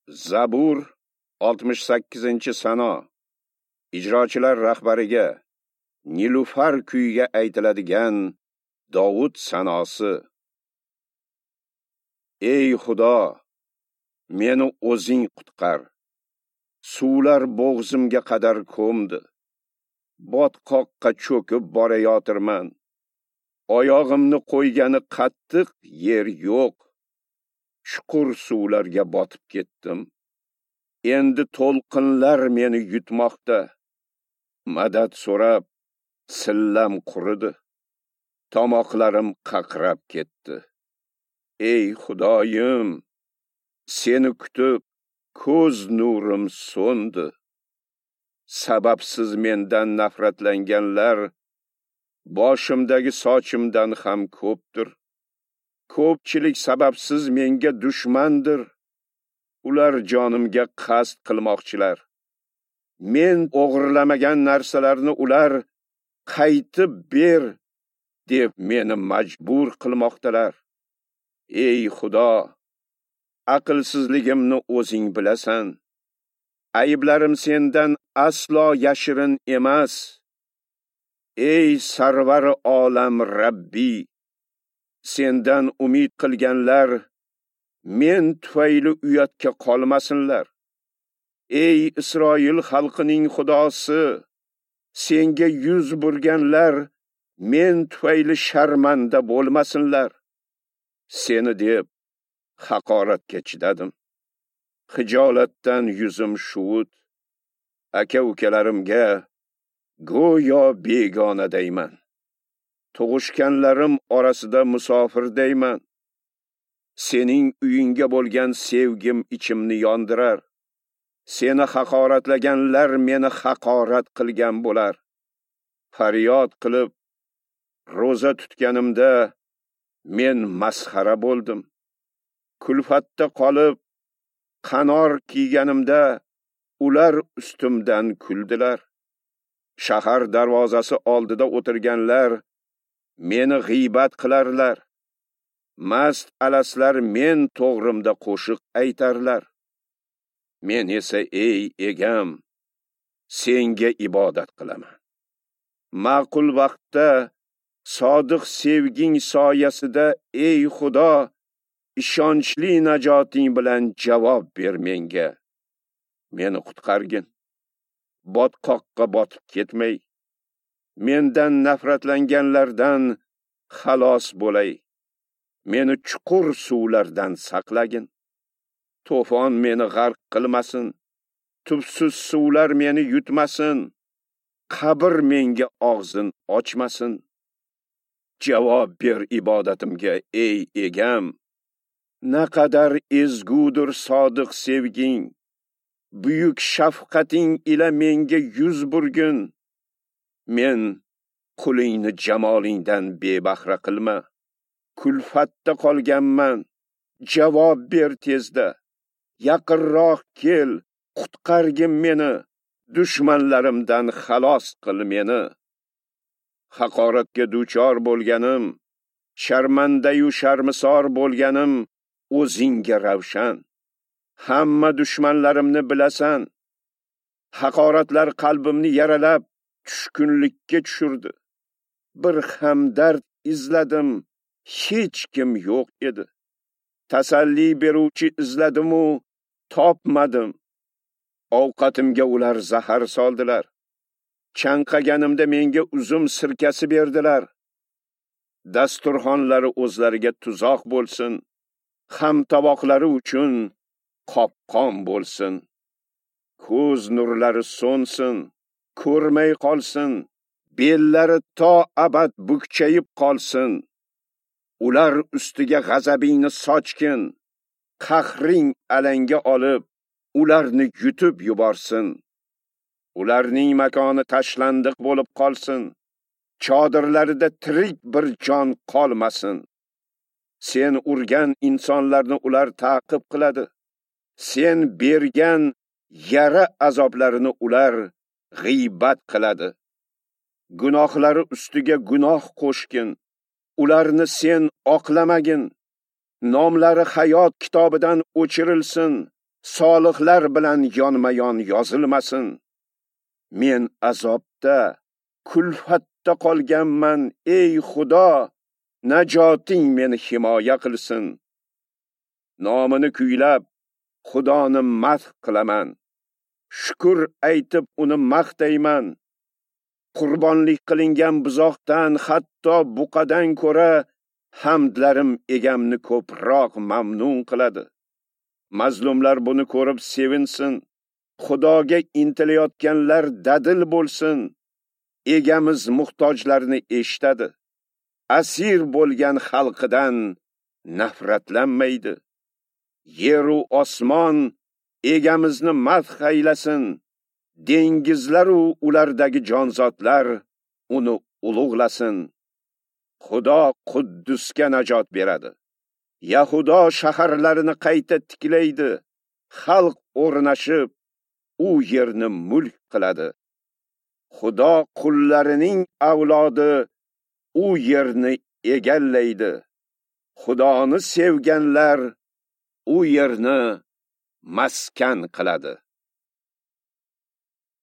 Zabur 68-sano. Ijrochilar rahbariga Nilufar kuyiga aytiladigan Dovud sanosi. Ey Xudo, meni o'zing qutqar. Suvlar bo'g'zimga qadar ko'mdi. Botqoqqa cho'kib borayotirman. Oyog'imni qo'ygani qattiq yer yo'q. Chuqur suvlarga botib ketdim. Endi to'lqinlar meni yutmoqda. Madad so'rab sillam quridi. Tomoqlarim qaqrab ketdi. Ey Xudoyim, seni kutib ko'z nurim so'ndi. Sababsiz mendan nafratlanganlar boshimdagi sochimdan ham ko'pdir. Ko'pchilik sababsiz menga dushmandir. Ular jonimga qasd qilmoqchilar. Men o'g'irlamagan narsalarni ular qaytib ber deb meni majbur qilmoqdalar. Ey Xudo, aqlsizligimni o'zing bilasan. Ayblarim sendan aslo yashirin emas. Ey sarvar olam Rabbi, sendan umid qilganlar men tufayli uyatga qolmasinlar. Ey Isroil xalqining Xudosi, senga yuz burganlar men tufayli sharmanda bo'lmasinlar. Seni deb haqoratga chidadim. Xijolatdan yuzim shuvut. Aka-ukalarimga go'yo begonadayman. Tug'ishganlarim orasida musofirdayman. Sening uyingga bo'lgan sevgim ichimni yondirar. Seni haqoratlaganlar meni haqorat qilgan bo'lar. Faryod qilib ro'za tutganimda men masxara bo'ldim. Kulfatda qolib qanor kiyganimda ular ustimdan kuldilar. Shahar darvozasi oldida o'tirganlar meni g'iybat qilarlar. Mast alaslar men to'g'rimda qo'shiq aytarlar. Men esa ey egam, senga ibodat qilaman. Ma'qul vaqtda sodiq sevging soyasida ey Xudo, ishonchli najoting bilan javob ber menga. Meni qutqargin. Botqoqqa botib ketmay. Mendan nafratlanganlardan xalos bo'lay. Meni chuqur suvlardan saqlagin. To'fon meni g'arq qilmasin. Tubsiz suvlar meni yutmasin. Qabr menga og'zin ochmasin. Javob ber ibodatimga ey egam. Naqadar ezgudir sodiq sevging. Buyuk shafqating ila menga yuz burgin. Men qulingni jamolingdan bebahra qilma. Kulfatda qolganman. Javob ber tezda. Yaqinroq kel, qutqargin meni. Dushmanlarimdan xalos qil meni. Haqoratga duchor bo'lganim, sharmandayu sharmisor bo'lganim o'zingga ravshan. Hamma dushmanlarimni bilasan. Haqoratlar qalbimni yaralab, tushkunlikka tushirdi. Bir hamdard izladim, hech kim yo'q edi. Tasalli beruvchi izladim-u topmadim. Ovqatimga ular zahar soldilar. Chanqaganimda menga uzum sirkasi berdilar. Dasturxonlari o'zlariga tuzoq bo'lsin, ham tovoqlari uchun qopqon bo'lsin. Ko'z nurlari so'nsin, ko'rmay qolsin, bellari to abad bukchayib qolsin. Ular ustiga g'azabingni sochgin, qahring alanga olib, ularni yutib yuborsin. Ularning makoni tashlandiq bo'lib qolsin, chodirlarida tirik bir jon qolmasin. Sen urgan insonlarni ular ta'qib qiladi. Sen bergan yara azoblarini ular g'iybat qiladi. Gunohlari ustiga gunoh qo'shgin. Ularni sen oqlamagin. Nomlari hayot kitobidan o'chirilsin. Solihlar bilan yonma-yon yozilmasin. Men azobda, kulfatda qolganman, ey Xudo, najoting meni himoya qilsin. Nomini kuylab, Xudoni madh qilaman. Shukr aytib uni maqtayman. Qurbonlik qilingan buzoqdan, hatto buqadan ko'ra hamdlarim egamni ko'proq mamnun qiladi. Mazlumlar buni ko'rib sevinsin. Xudoga intilayotganlar dadil bo'lsin. Egamiz muhtojlarni eshitadi. Asir bo'lgan xalqidan nafratlanmaydi. Yer u osmon egamizni madh aylasin. Dengizlar u ulardagi jonzotlar uni ulug'lasin. Xudo Quddusga najot beradi. Yahudo shaharlarini qayta tiklaydi. Xalq o'rnashib, u yerni mulk qiladi. Xudo qullarining avlodi u yerni egallaydi. Xudoni sevganlar u yerni maskan qiladi.